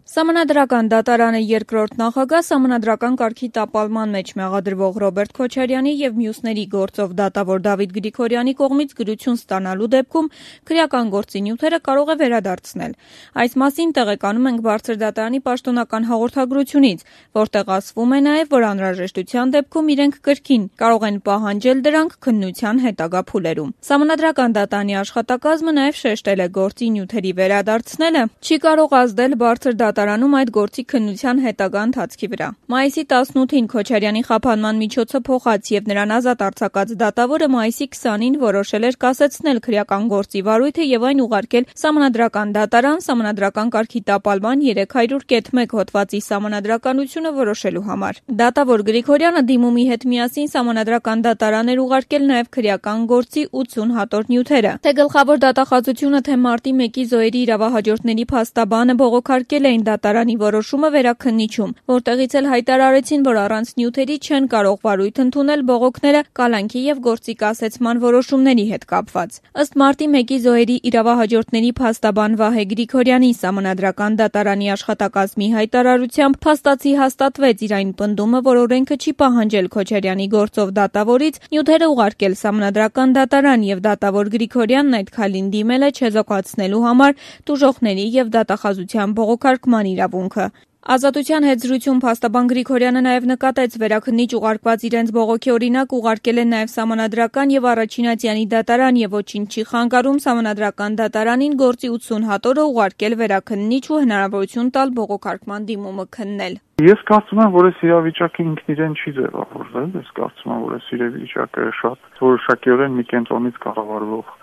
Սահմանադրական դատարանը երկրորդ նախագահ սահմանադրական կարգի տապալման մեջ մեղադրվող Ռոբերտ Քոչարյանի եւ մյուսների գործով դատավոր Դավիթ Գրիգորյանի կողմից գրություն ստանալու դեպքում քրեական գործի նյութերը կարող է վերադարձնել։ Այս մասին տեղեկանում ենք Բարձր դատարանի պաշտոնական հաղորդագրությունից, որտեղ ասվում է նաեւ, որ անհրաժեշտության դեպքում իրենք կրկին կարող են պահանջել դրանք քննության հետագա փուլերում։ Սահմանադրական դատարանի աշխատակազմը նաեւ շեշտել է գործի նյութերի վերադարձնելը չի կարող ազդել Բարձր դատարանում այդ գործի քննության հետագա ընթացքի վրա։ Մայիսի 18-ին Քոչարյանի խափանման միջոցը փոխած եւ նրան ազատ արձակած դատավորը մայիսի 20-ին որոշել էր կասեցնել քրեական գործի վարույթը եւ այն ուղարկել Սահմանադրական դատարան սահմանադրական կարգի տապալման 300.1 հոդվածի սահմանադրականությունը որոշելու համար։ Դատավոր Գրիգորյանը դիմումի հետ միասին Սահմանադրական դատարան էր ուղարկել նաեւ քրեական գործի 80 հատոր նյութերը։ Թե գլխավոր դատախազությունը, թե մարտի 1-ի զոհերի իրավահաջորդների փաստաբանը բողոքարկել էին դատարանի որոշումը վերաքննիչում, որտեղից էլ հայտարարեցին, որ առանց նյութերի չեն կարող վարույթ ընդունել բողոքները կալանքի եւ գործի կասեցման որոշումների հետ կապված։ Ըստ մարտի 1-ի զոհերի իրավահաջորդների փաստաբան Վահե Գրիգորյանի Սահմանադրական դատարանի աշխատակազմի հայտարարությամբ փաստացի հաստատվեց իր այն պնդումը, որ օրենքը չի պահանջել Քոչարյանի գործով դատավորից նյութերը ուղարկել Սահմանադրական դատարան եւ դատավոր Գրիգորյանն այդ քայլին դիմել է չեզոքացնելու համար տուժողների եւ դատախազության բողոքարկման իրավունքը։ Ազատության հետ զրույցում փաստաբան Գրիգորյանը նաև նկատեց վերաքննիչ ուղարկված իրենց բողոքի օրինակ ուղարկել են նաև Սահմանադրական եւ Առաջինատյանի դատարան եւ ոչինչ չի խանգարում Սահմանադրական դատարանին գործի 80 հատորը ուղարկել վերաքննիչ ու հնարավորություն տալ բողոքարկման դիմումը քննել։ Ես կարծում եմ, որ այս իրավիճակը ինքն իրեն չի ձևավորվել, ես կարծում եմ, որ այս իրավիճակը շատ որոշակիորեն մի կենտրոնից կառավարվող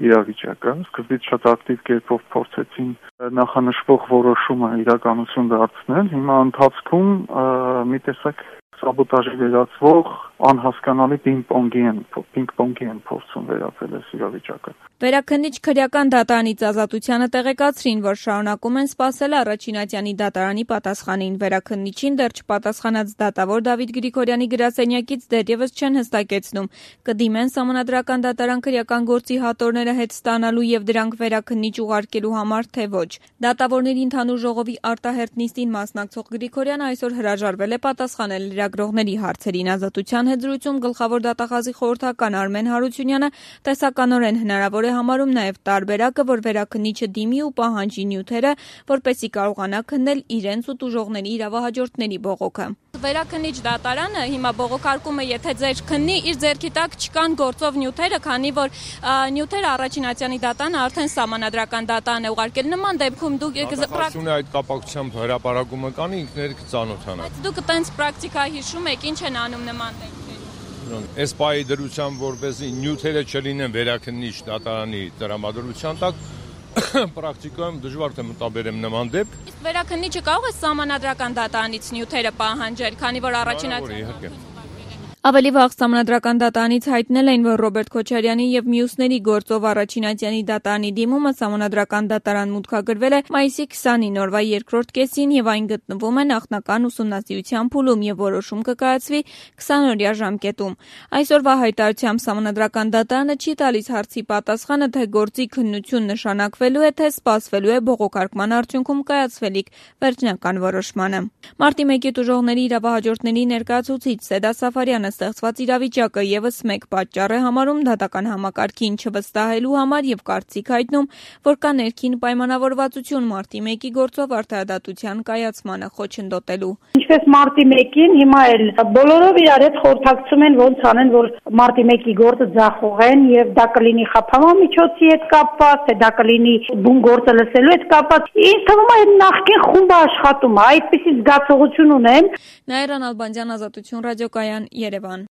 իրավիճակը, սկզբից շատ ակտիվ կերպով փորձեցին նախանշվող որոշումը իրականություն դարձնել, հիմա ընթացքում մի տեսակ սաբոտաժի վերածվող անհասկանալի պինգ-պոնգի են փորձում վերածել այս իրավիճակը։ Վերաքննիչ քրեական դատարանից Ազատությանը տեղեկացրին, որ շարունակում են սպասել Առաջինատյանի դատարանի պատասխանին։ Վերաքննիչին դեռ չպատասխանած դատավոր Դավիթ Գրիգորյանի գրասենյակից դեռևս չեն հստակեցնում կդիմեն Սահմանադրական դատարան քրեական գործի հատորները հետ ստանալու եւ դրանք վերաքննիչ ուղարկելու համար, թե ոչ։ Դատավորների ընդհանուր ժողովի արտահերթ նիստին մասնակցող Գրիգորյանը այսօր հրաժարվել է պատասխանել լրագրողների հարցերին։ Ազատության հետ զրույցում գլխավոր դատախազի խորհրդական Արմեն Հարությունյանը տեսականորեն հնարավոր է համարում նաև տարբերակը, որ վերաքննիչը դիմի ու պահանջի նյութերը, որպեսզի կարողանա քննել իրենց ու տուժողների իրավահաջորդների բողոքը։ Վերաքննիչ դատարանը հիմա բողոքարկում է, եթե ձեր քննի իր ձեռքի տակ չկան գործով նյութերը, քանի որ նյութերը Առաջինատյանի դատարանը արդեն Սահմանադրական դատարան է ուղարկել։ Նման դեպքում դուք Դատախազությունը այդ կապակցությամբ հրապարակումը կանի, ինքներդ կծանոթանաք։ Բայց դուք տենց պրակտիկա հիշում եք, ինչ են անում նման դեպքերում։ Այս պահի դրությամբ, որպեսզի նյութերը չլինեն վերաքննիչ դատարանի տրամադրության տակ, պրակտիկայում դժվար թե մտաբերեմ նման դեպք։ Իսկ վերաքննիչը կարող է Սահմանադրական դատարանից նյութերը պահանջել, քանի որ Առաջինատյանը Ավելի վաղ Սահմանադրական դատարանից հայտնել էին, որ Ռոբերտ Քոչարյանի եւ մյուսների գործով Առաջինատյանի դատարանի դիմումը Սահմանադրական դատարան մուտքագրվել է մայիսի 20-ին օրվա երկրորդ կեսին եւ այն գտնվում է նախնական ուսումնասիրության փուլում եւ որոշում կկայացվի 20-օրյա ժամկետում։ Այսօրվա հայտարարությամբ Սահմանադրական դատարանը չի տալիս հարցի պատասխանը, թե գործի քննություն նշանակվելու է, թե սպասվելու է բողոքարկման արդյունքում կայացվելիք վերջնական որոշմանը։ Մարտի 1-ի տուժողների իրավահաջորդների ներկայացուցիչ Սեդա Սաֆարյանը ստեղծված իրավիճակը եւս մեկ պատճառ է համարում դատական համակարգին չվստահելու համար եւ կարծիք հայտնում, որ կա ներքին պայմանավորվածություն մարտի 1-ի գործով արդարադատության կայացմանը խոչընդոտելու։ Ինչպես մարտի 1-ին, հիմա էլ բոլորով իրար հետ խորհրդակցում են ոնց անեն, որ մարտի 1-ի գործը ձախողեն եւ դա կլինի խափանման միջոցի հետ կապված, թե դա կլինի բուն գործը լսելու հետ կապված։ Ինձ թվում է նախկին խումբը աշխատում է, այդպիսի զգացողություն ունեմ։ Նաիրա Նալբանդյան, Ազատություն ռադիոկայան, Երևան։